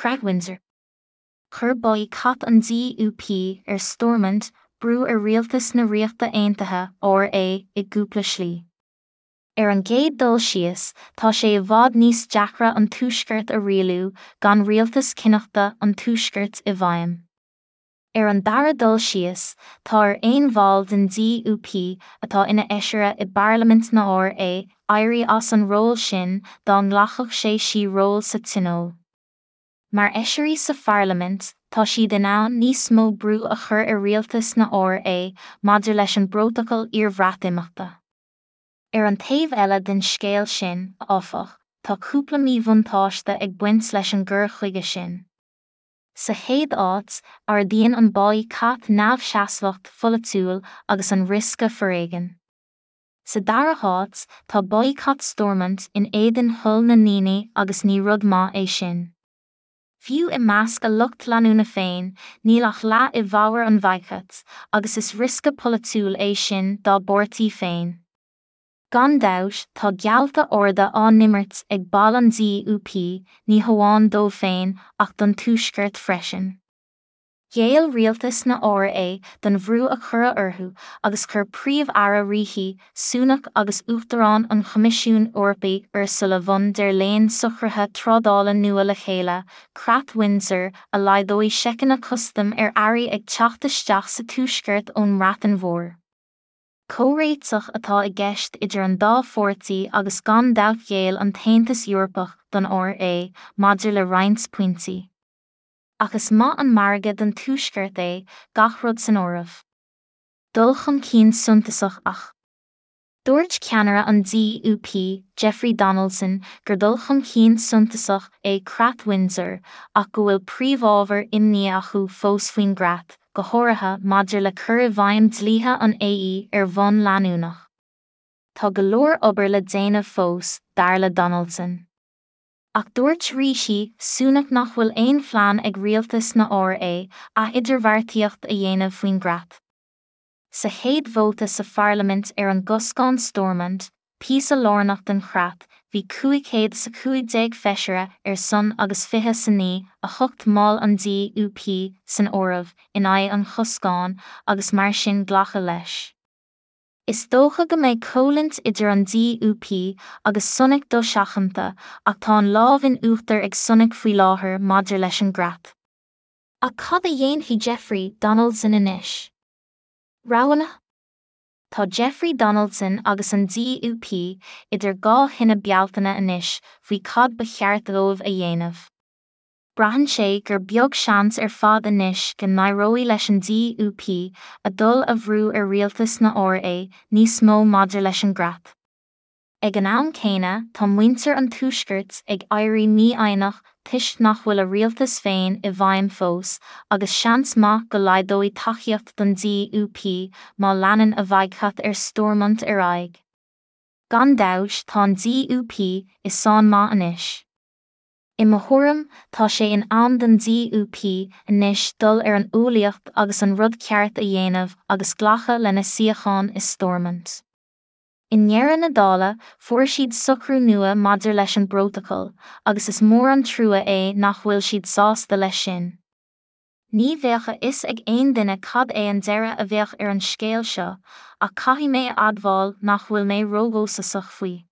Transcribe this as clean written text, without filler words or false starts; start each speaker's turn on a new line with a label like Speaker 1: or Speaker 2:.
Speaker 1: Creat Windsor. Chuir baghcat an DUP ar Stormont brú ar rialtas na Ríochta Aontaithe, RA, i gcúpla slí. Ar an gcéad dul síos, tá sé i bhfad níos deacra an Tuaisceart a rialú gan rialtas cineachta an Tuaiscirt i bhfeidhm. Ar an dara dul síos, tá ar aon bhall den DUP atá ina fheisire i bParlaimint na RA éirí as an ról sin dá nglacfadh sé sí ról sa Tionól. Mar fheisirí sa Pharlaimint, tá siad in ann níos mó brú a chur ar rialtas na RA maidir leis an bprótacal iarBhreatimeachta. Ar an taobh eile den scéal sin, áfach, tá cúpla míbhuntáiste ag baint leis an gcur chuige sin. Sa chéad áit, ardaíonn an baghcat neamhsheasmhacht pholaitiúil agus an riosca foréigin. Sa dara háit, tá baghcat Stormont in éadan thoil na ndaoine agus ní rud maith é sin. Fiú i measc a lucht leanúna féin, níl ach leath i bhfabhar an bhaghcait, agus is riosca polaitiúil é sin dá bpáirtí féin. Gan dabht, tá geallta arda á n-imirt ag baill an DUP, ní hamháin dóibh féin ach don Tuaisceart freisin. Ghéill rialtas na RA don bhrú a cuireadh orthu agus chuir Príomh-Aire Rishi Sunak agus Uachtarán an Choimisiúin Eorpaigh Ursula von der Leyen socruithe trádála nua le chéile, Creat Windsor, a laghdóidh seiceanna custaim ar earraí ag teacht isteach sa Tuaisceart ón mBreatain Mhór. Comhréiteach atá i gceist idir an dá pháirtí agus gan dabht ghéill an tAontas Eorpach don RA maidir le roinnt pointí. Ach is maith an margadh don Tuaisceart é, gach rud san áireamh. Dul chun cinn suntasach ach. Dúirt ceannaire an DUP, Jeffrey Donaldson, gur dul chun cinn suntasach é Creat Windsor ach go bhfuil príomhábhair imní acu fós faoin gcreat, go háirithe maidir le cur i bhfeidhm dlíthe an AE ar bhonn leanúnach. Tá go leor obair le déanamh fós, dar le Donaldson. Ach dúirt Rishi Sunak nach bhfuil aon phlean ag rialtas na RA ath-idirbheartaíocht a dhéanamh faoin gcreat. Sa chéad vóta sa pharlaimint ar an gcoscán Stormont, píosa lárnach den chreat, bhí 515 feisire ar son agus 29, 8 mball an DUP san áireamh, in aghaidh an choscáin agus mar sin glacadh leis. Is dócha go mbeidh coimhlint idir an DUP agus Sunak dosheachanta ach tá an lámh in uachtar ag Sunak faoi láthair maidir leis an gcreat. Ach cad a dhéanfaidh Jeffrey Donaldson anois? Roghanna? Tá Jeffrey Donaldson agus an DUP idir dhá thine Bealtaine anois faoi cad ba cheart dóibh a dhéanamh. Braitheann sé gur beag seans ar fad anois go n-éireoidh leis an DUP a dtoil a bhrú ar rialtas na RA níos mó maidir leis an gcreat. Ag an am céanna, tá muintir an Tuaiscirt ag éirí mífhoighneach toisc nach bhfuil a rialtas féin i bhfeidhm fós agus seans maith go laghdóidh tacaíocht don DUP má leanann a bhaghcat ar Stormont ar aghaidh. Gan dabht, tá an DUP i sáinn maith anois. I mo thuairim, tá sé in am don DUP anois dul ar an umhlaíocht agus an rud ceart a dhéanamh agus glacadh lena suíochán i Stormont. I ndeireadh na dála, fuair siad socrú nua maidir leis an bprótacal, agus is mór an trua é nach bhfuil siad sásta leis sin. Ní bheadh a fhios ag aon duine cad é an deireadh a bheadh ar an scéal seo, ach caithfidh mé a admháil nach bhfuil mé ródhóchasach faoi.